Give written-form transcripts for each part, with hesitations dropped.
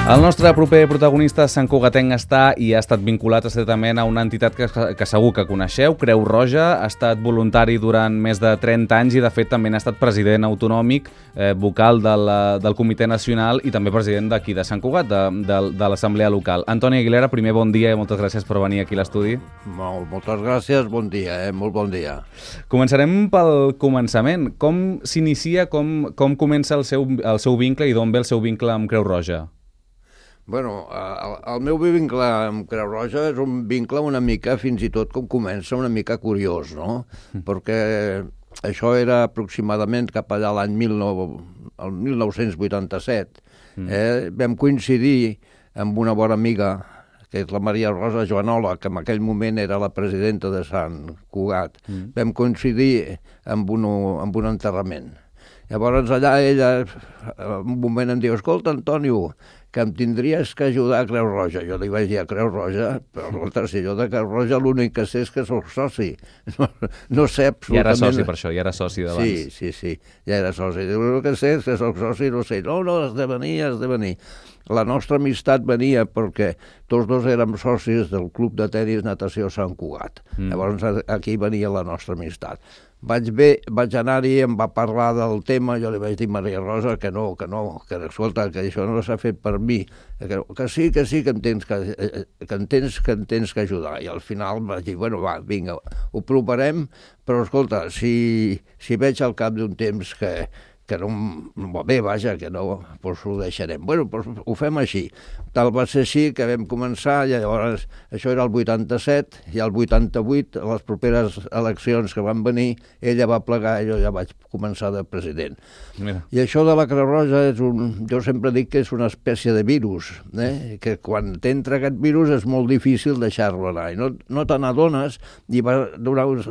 El nostre proper protagonista, Sant Cugatenc, està i ha estat vinculat estretament a una entitat que segur que coneixeu, Creu Roja. Ha estat voluntari durant més de 30 anys i, de fet, també ha estat president autonòmic, vocal del Comitè Nacional i també president d'aquí, de Sant Cugat, de l'Assemblea Local. Antoni Aguilera, primer bon dia i moltes gràcies per venir aquí a l'estudi. Moltes gràcies, bon dia, molt bon dia. Començarem pel començament. Com s'inicia, com comença el seu vincle i d'on ve el seu vincle amb Creu Roja? Bueno, el meu vincle amb Creu Roja és un vincle una mica, fins i tot com comença, una mica curiós, no? Perquè això era aproximadament cap allà l'any 1987. Vam coincidir amb una bona amiga, que és la Maria Rosa Joanola, que en aquell moment era la presidenta de Sant Cugat. Vam coincidir amb un enterrament. Llavors allà ella, en un moment em diu, escolta, Antonio, que em tindries que ajudar a Creu Roja. Jo li vaig dir a Creu Roja, però si jo de Creu Roja l'únic que sé és que soc soci. No sé absolutament... Ja era soci per això, ja era soci d'abans. Sí, ja era soci. El que sé és que soc soci, no sé. No, has de venir. La nostra amistat venia perquè tots dos érem socis del Club de Tenis Natació Sant Cugat. Llavors aquí venia la nostra amistat. Vaig anar-hi, em va parlar del tema, jo li vaig dir a Maria Rosa que escolta, que això no s'ha fet per mi, que sí, que em tens que ajudar. I al final vaig dir, bueno, va, vinga, ho provarem, però escolta, si veig al cap d'un temps que no va bé, vaja, que no, doncs ho deixarem. Bueno, doncs ho fem així. Tal va ser així que vam començar, i llavors això era el 87, i el 88, a les properes eleccions que van venir, ella va plegar i jo ja vaig començar de president. Mira. I això de la Creu Roja jo sempre dic que és una espècie de virus, que quan t'entra aquest virus és molt difícil deixar-lo anar, i no te n'adones, i va donar un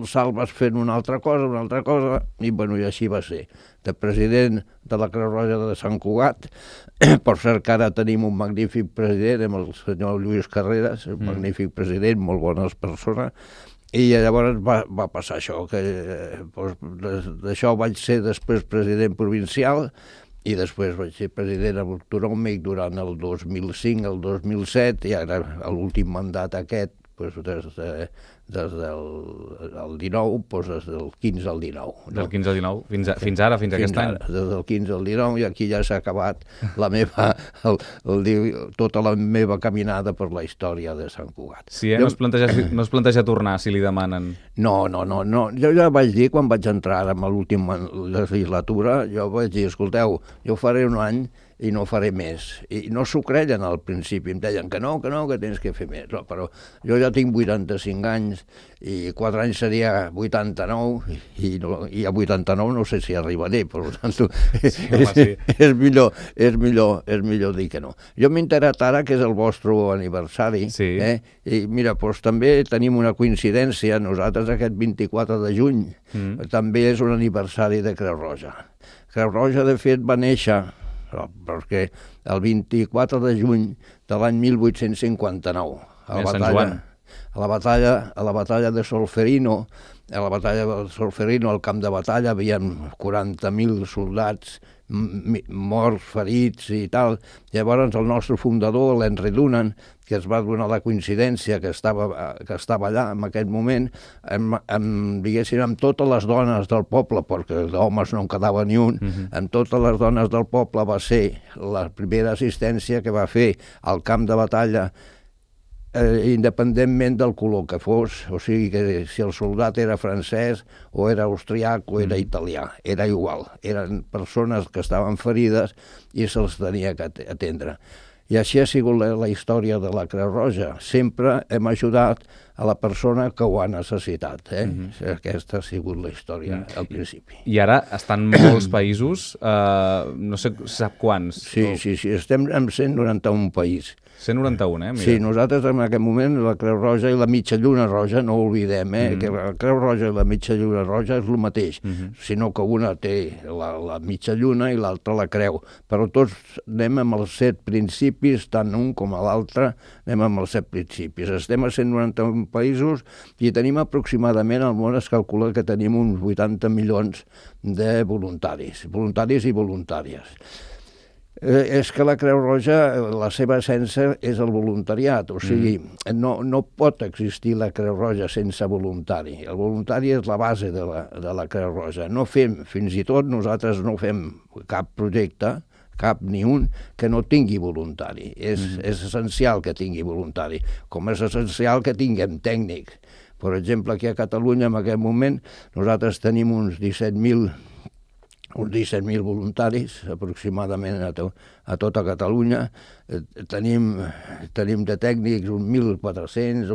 salt, vas fent una altra cosa, i bueno, i així va ser. De president de la Creu Roja de Sant Cugat. Per cert que ara tenim un magnífic president, amb el senyor Lluís Carreras, un magnífic president, molt bones persones, i llavors va passar això, que d'això vaig ser després president provincial i després vaig ser president autonòmic durant el 2005 al 2007, i ara l'últim mandat aquest, des del 19, des del 15 al 19. Del 15 al 19? Fins ara, fins aquest any? Des del 15 al 19, i aquí ja s'ha acabat tota la meva caminada per la història de Sant Cugat. Sí, no es planteja tornar, si li demanen. No. Jo ja vaig dir, quan vaig entrar en l'última legislatura, jo vaig dir, escolteu, jo faré un any i no faré més. I no s'ho creien al principi, em deien que no, que tens que fer més. No, però jo ja tinc 85 anys i 4 anys seria 89 i a 89 no sé si arribaré, per tant, és millor dir que no. Jo m'he enterat ara que és el vostre aniversari, i mira, doncs també tenim una coincidència, nosaltres aquest 24 de juny també és un aniversari de Creu Roja. Creu Roja, de fet, va néixer perquè el 24 de juny de l'any 1859, a la batalla de Solferino, al camp de batalla, havien 40.000 soldats morts, ferits i tal. Llavors el nostre fundador, l'Henry Dunant, que es va donar la coincidència que estava allà en aquest moment, diguéssim, amb totes les dones del poble, perquè d'homes no en quedava ni un, amb totes les dones del poble va ser la primera assistència que va fer al camp de batalla, independentment del color que fos, o sigui que si el soldat era francès o era austriac o era italià, era igual, eren persones que estaven ferides i se'ls tenia que atendre. I així ha sigut la història de la Creu Roja. Sempre hem ajudat a la persona que ho ha necessitat. Aquesta ha sigut la història al principi. I ara estan molts països, no sé, sap quants? Sí, estem en 191 països. 191, mira. Sí, nosaltres en aquest moment la Creu Roja i la Mitja Lluna Roja, no ho oblidem, que la Creu Roja i la Mitja Lluna Roja és el mateix, sinó que una té la mitja lluna i l'altra la creu. Però tots anem amb els 7 principis, tant un com a l'altre anem amb els 7 principis. Estem a 191 països i tenim aproximadament, al món es calcula que tenim uns 80 milions de voluntaris i voluntàries. És que la Creu Roja, la seva essència és el voluntariat, o sigui, no pot existir la Creu Roja sense voluntari. El voluntari és la base de la Creu Roja. No fem, fins i tot nosaltres no fem cap projecte, cap ni un, que no tingui voluntari. És essencial que tingui voluntari, com és essencial que tinguem tècnics. Per exemple, aquí a Catalunya, en aquest moment, nosaltres tenim uns 17.000 voluntaris, aproximadament a tota Catalunya. Tenim de tècnics uns 1.400,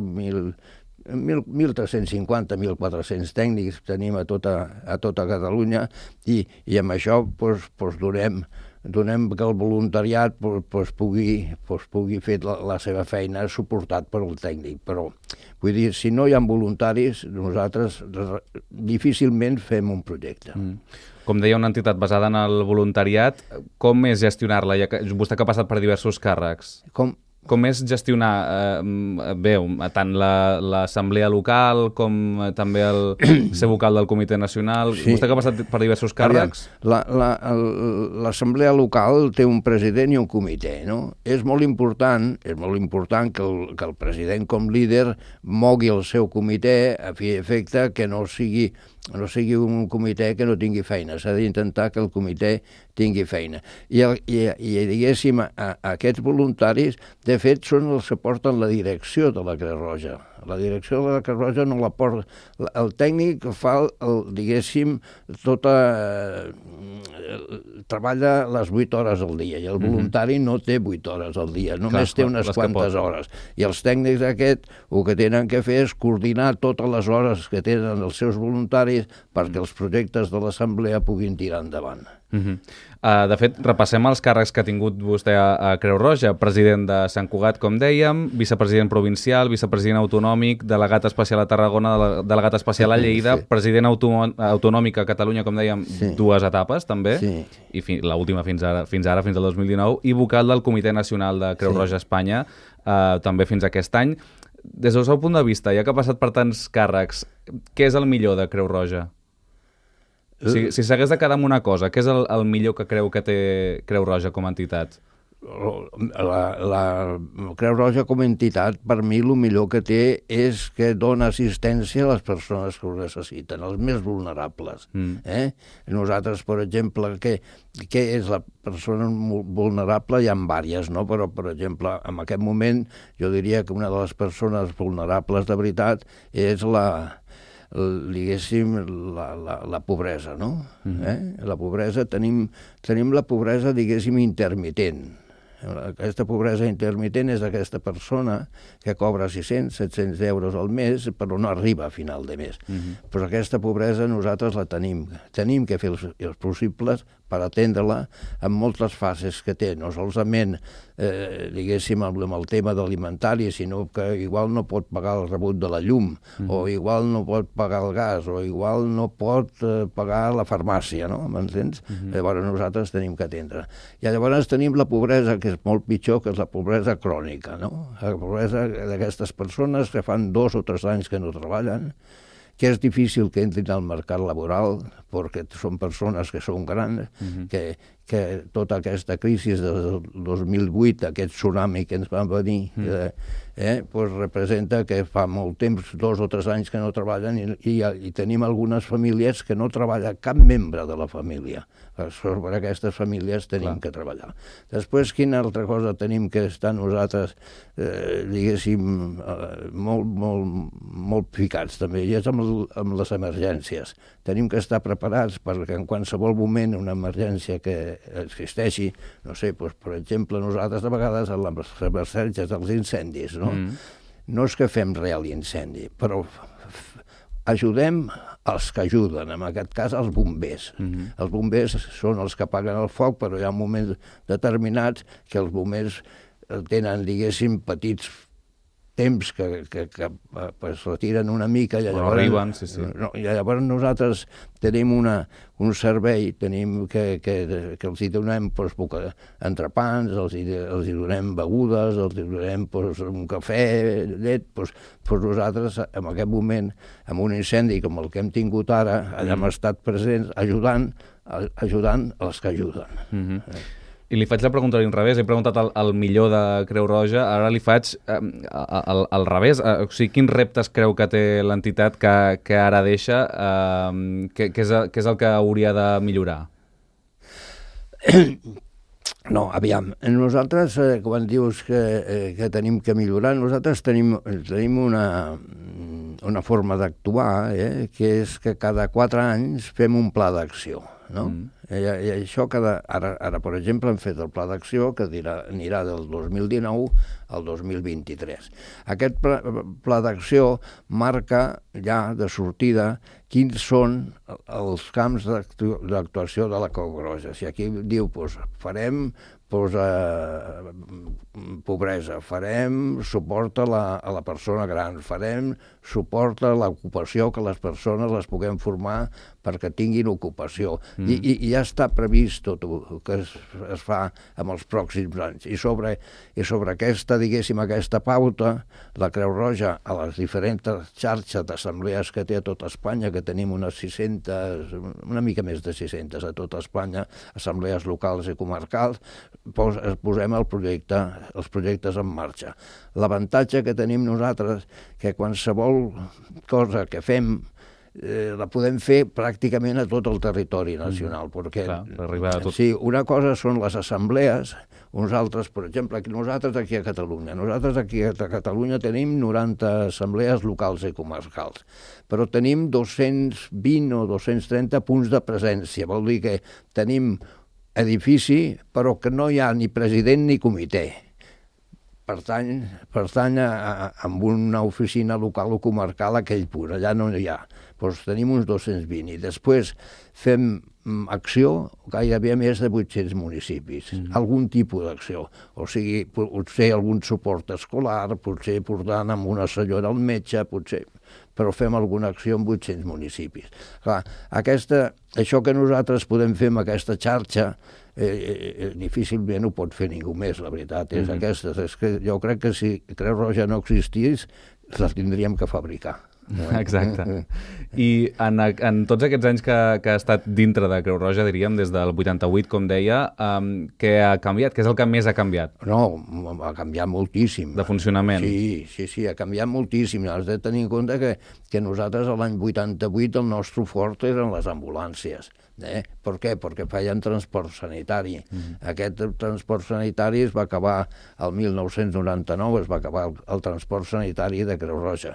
1.350, 1.400 tècnics tenim a tota Catalunya i amb això donem que el voluntariat pugui fer la seva feina suportat per el tècnic. Però, vull dir, si no hi ha voluntaris, nosaltres difícilment fem un projecte. Com deia, una entitat basada en el voluntariat, com és gestionar-la? Vostè que ha passat per diversos càrrecs. Com és gestionar tant l'assemblea local com també ser vocal del Comitè Nacional? Sí. Vostè que ha passat per diversos càrrecs? L'assemblea local té un president i un comitè, no? És molt important que el president com líder mogui el seu comitè a fi i efecte que no sigui un comitè que no tingui feina. S'ha d'intentar que el comitè tingui feina. I diguéssim, aquests voluntaris, de fet, són els que porten la direcció de la Creu Roja. La direcció de la Creu Roja no la porta... El tècnic fa, diguéssim, treballa les 8 hores al dia i el voluntari no té 8 hores al dia, només té unes quantes hores. I els tècnics aquests el que tenen que fer és coordinar totes les hores que tenen els seus voluntaris perquè els projectes de l'assemblea puguin tirar endavant. De fet, repassem els càrrecs que ha tingut vostè a Creu Roja. President de Sant Cugat, com dèiem, vicepresident provincial, vicepresident autonòmic, delegat especial a Tarragona, delegat especial a Lleida, president autonòmic a Catalunya, com dèiem, 2 etapes també, i l'última fins ara, fins al 2019, i vocal del Comitè Nacional de Creu Roja Espanya, també fins aquest any. Des del seu punt de vista, ja que ha passat per tants càrrecs, què és el millor de Creu Roja? Si s'hagués de quedar amb una cosa, què és el millor que creu que té Creu Roja com a entitat? La Creu Roja com a entitat, per mi, el millor que té és que dona assistència a les persones que ho necessiten, els més vulnerables. Nosaltres, per exemple, què és la persona vulnerable? Hi ha diverses, no? Però, per exemple, en aquest moment, jo diria que una de les persones vulnerables de veritat és diguéssim, la pobresa, no? La pobresa, tenim la pobresa, diguéssim, intermitent. Aquesta pobresa intermitent és aquesta persona que cobra 600-700 euros al mes però no arriba a final de mes. Però aquesta pobresa nosaltres la tenim. Tenim que fer els possibles per atendre-la en moltes fases que té, no solament diguéssim amb el tema d'alimentari, sinó que igual no pot pagar el rebut de la llum, o igual no pot pagar el gas, o igual no pot pagar la farmàcia, no? M'entens? Llavors nosaltres tenim que atendre. I llavors tenim la pobresa, que és molt pitjor, que és la pobresa crònica, no? La pobresa d'aquestes persones que fan 2 o 3 anys que no treballen, que és difícil que entrin al mercat laboral perquè són persones que són grans, que tota aquesta crisi del 2008, aquest tsunami que ens va venir, representa que fa molt temps, 2 o 3 anys que no treballen i tenim algunes famílies que no treballa cap membre de la família. Sobre aquestes famílies tenim que treballar. Després, quina altra cosa tenim que estar nosaltres, diguéssim, molt ficats també, i és amb les emergències. Tenim que estar preparats perquè en qualsevol moment una emergència que existeixi, no sé, per exemple, nosaltres de vegades a les emergències dels incendis, no? No és que fem real incendi, però ajudem els que ajuden, en aquest cas els bombers. Els bombers són els que apaguen el foc, però hi ha moments determinats que els bombers tenen, diguéssim, petits temps que es retiren una mica i llavors, arriben, sí. No, i llavors nosaltres tenim un servei, tenim que els hi donem entrepans, els hi donem begudes, els hi donem un cafè, llet, nosaltres en aquest moment, amb un incendi com el que hem tingut ara, hem estat presents ajudant els que ajuden. I li faig la pregunta a l'inrevés. He preguntat al millor de Creu Roja, ara li faig al revés. O sigui, quins reptes creu que té l'entitat que ara deixa? Què és el que hauria de millorar? No, aviam, nosaltres, quan dius que tenim que millorar, nosaltres tenim una forma d'actuar, que és que cada 4 anys fem un pla d'acció, no? I això ara, per exemple, hem fet el pla d'acció que anirà del 2019 al 2023. Aquest pla d'acció marca ja de sortida quins són els camps d'actuació de la Creu Roja. Si aquí diu, farem pobresa, farem suport a la persona gran, farem suport a l'ocupació, que les persones les puguem formar perquè tinguin ocupació. I ja està previst tot el que es fa en els pròxims anys. I sobre aquesta, diguéssim, aquesta pauta, la Creu Roja, a les diferents xarxes d'assemblees que té a tota Espanya, que tenim unes 600, una mica més de 600 a tota Espanya, assemblees locals i comarcals, posem els projectes en marxa. L'avantatge que tenim nosaltres, que qualsevol cosa que fem la podem fer pràcticament a tot el territori nacional. Perquè, per arribar a tot. Sí, una cosa són les assemblees, uns altres, per exemple, nosaltres aquí a Catalunya. Nosaltres aquí a Catalunya tenim 90 assemblees locals i comarcals, però tenim 220 o 230 punts de presència. Vol dir que tenim edifici, però que no hi ha ni president ni comitè. Pertany a una oficina local o comarcal a aquell punt, allà no hi ha. Doncs tenim uns 220 i després fem acció gairebé a més de 800 municipis, algun tipus d'acció, o sigui, potser algun suport escolar, potser portant amb una senyora al metge, però fem alguna acció en 800 municipis. Clar, això que nosaltres podem fer amb aquesta xarxa, difícilment ho pot fer ningú més, la veritat és aquesta. És que jo crec que si Creu Roja no existís, la tindríem que fabricar. Exacte. I en tots aquests anys que ha estat dintre de Creu Roja, diríem, des del 88, com deia, què ha canviat? Què és el que més ha canviat? No, ha canviat moltíssim. De funcionament? Sí, ha canviat moltíssim. Has de tenir en compte que nosaltres a l'any 88 el nostre fort eren les ambulàncies. Per què? Perquè feien transport sanitari. Aquest transport sanitari es va acabar el 1999, es va acabar el transport sanitari de Creu Roja.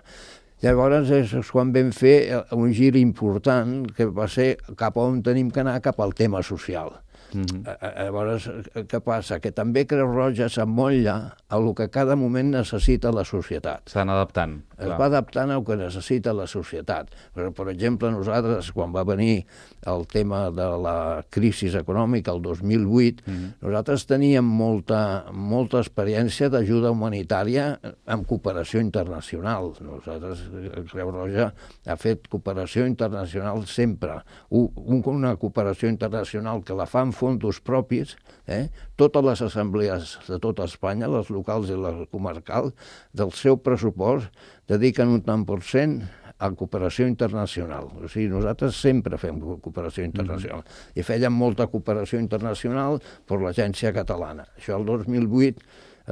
Llavors és quan vam fer un gir important que va ser cap on tenim que anar, cap al tema social. Llavors, què passa? Que també Creu Roja s'emmotlla a el que cada moment necessita la societat. S'han adaptant. Es va adaptant al que necessita la societat. Per exemple, nosaltres, quan va venir el tema de la crisi econòmica, el 2008, nosaltres teníem molta experiència d'ajuda humanitària amb cooperació internacional. Nosaltres, Creu Roja, ha fet cooperació internacional sempre. Una cooperació internacional que la fa amb fons propis, totes les assemblees de tota Espanya, les locals i les comarcals, del seu pressupost dediquen un tant % a cooperació internacional. O sigui, nosaltres sempre fem cooperació internacional. I fèiem molta cooperació internacional per l'Agència Catalana. Això el 2008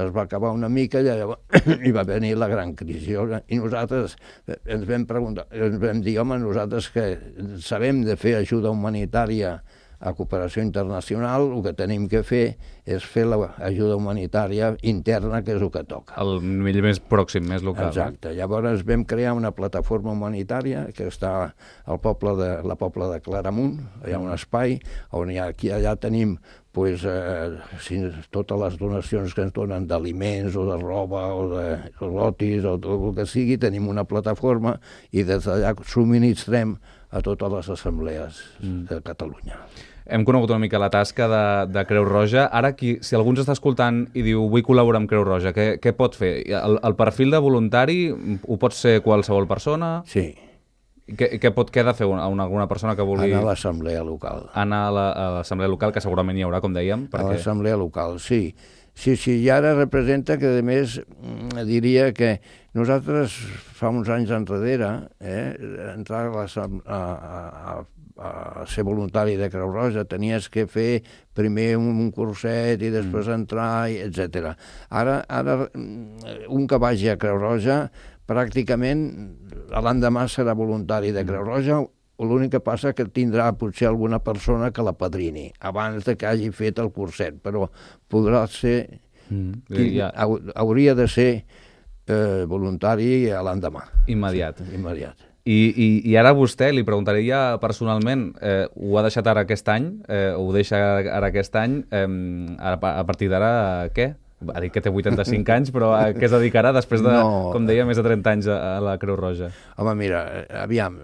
es va acabar una mica i va venir la gran crisi. I nosaltres ens vam preguntar, ens vam dir, home, nosaltres que sabem de fer ajuda humanitària a cooperació internacional, el que tenim que fer és fer l'ajuda humanitària interna, que és el que toca. El nivell més pròxim, més local. Exacte. Llavors vam crear una plataforma humanitària que està al poble de Claramunt, hi ha un espai on allà tenim totes les donacions que ens donen d'aliments o de roba o de lotis o tot el que sigui, tenim una plataforma i des d'allà subministrem a totes les assemblees de Catalunya. hem conegut una mica la tasca de Creu Roja. Ara, si algú ens està escoltant i diu vull col·laborar amb Creu Roja, què pot fer? El perfil de voluntari ho pot ser qualsevol persona? Sí. Què ha de fer alguna persona que vulgui... Anar a l'assemblea local. Anar a l'assemblea local, que segurament hi haurà, com dèiem. A l'assemblea local, sí. Sí, i ara representa que, a més, diria que nosaltres fa uns anys enrere, entrar a ser voluntari de Creu Roja, tenies que fer primer un curset i després entrar, etc. Ara, un que vagi a Creu Roja, pràcticament l'endemà serà voluntari de Creu Roja. L'únic que passa que tindrà potser alguna persona que la padrini abans de que hagi fet el curset, però podrà ser... Hauria de ser voluntari a l'endemà. Immediat. Immediat. I ara vostè, li preguntaria personalment, ho ha deixat ara aquest any? Ho deixa ara aquest any? A partir d'ara, què? Ha dit que té 85 anys, però a què es dedicarà després de, com deia, més de 30 anys a la Creu Roja? Home, mira, aviam,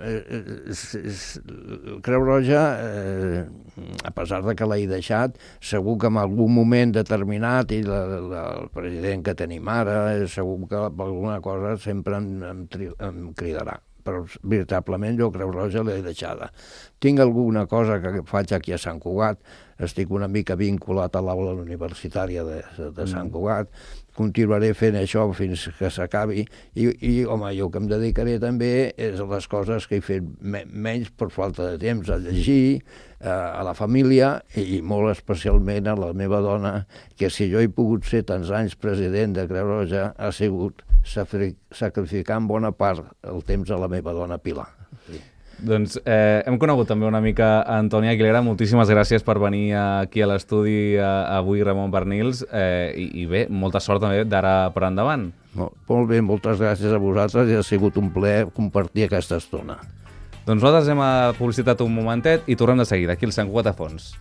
Creu Roja, a pesar de que l'he deixat, segur que en algun moment determinat, i el president que tenim ara, segur que per alguna cosa sempre em cridarà. Però veritablement jo Creu Roja l'he deixada. Tinc alguna cosa que faig aquí a Sant Cugat, estic una mica vinculat a l'aula universitària de Sant Cugat, continuaré fent això fins que s'acabi i home, jo que em dedicaré també és a les coses que he fet menys per falta de temps, a llegir, a la família i molt especialment a la meva dona, que si jo he pogut ser tants anys president de Creu Roja ha sigut sacrificant bona part el temps a la meva dona Pilar. Sí. Doncs hem conegut també una mica Antoni Aguilera. Moltíssimes gràcies per venir aquí a l'estudi avui, Ramon Barnils, i bé, molta sort també d'ara per endavant. Molt bé, moltes gràcies a vosaltres i ha sigut un plaer compartir aquesta estona. Doncs nosaltres hem publicitat un momentet i tornem de seguida aquí al Sant Cugat a Fons.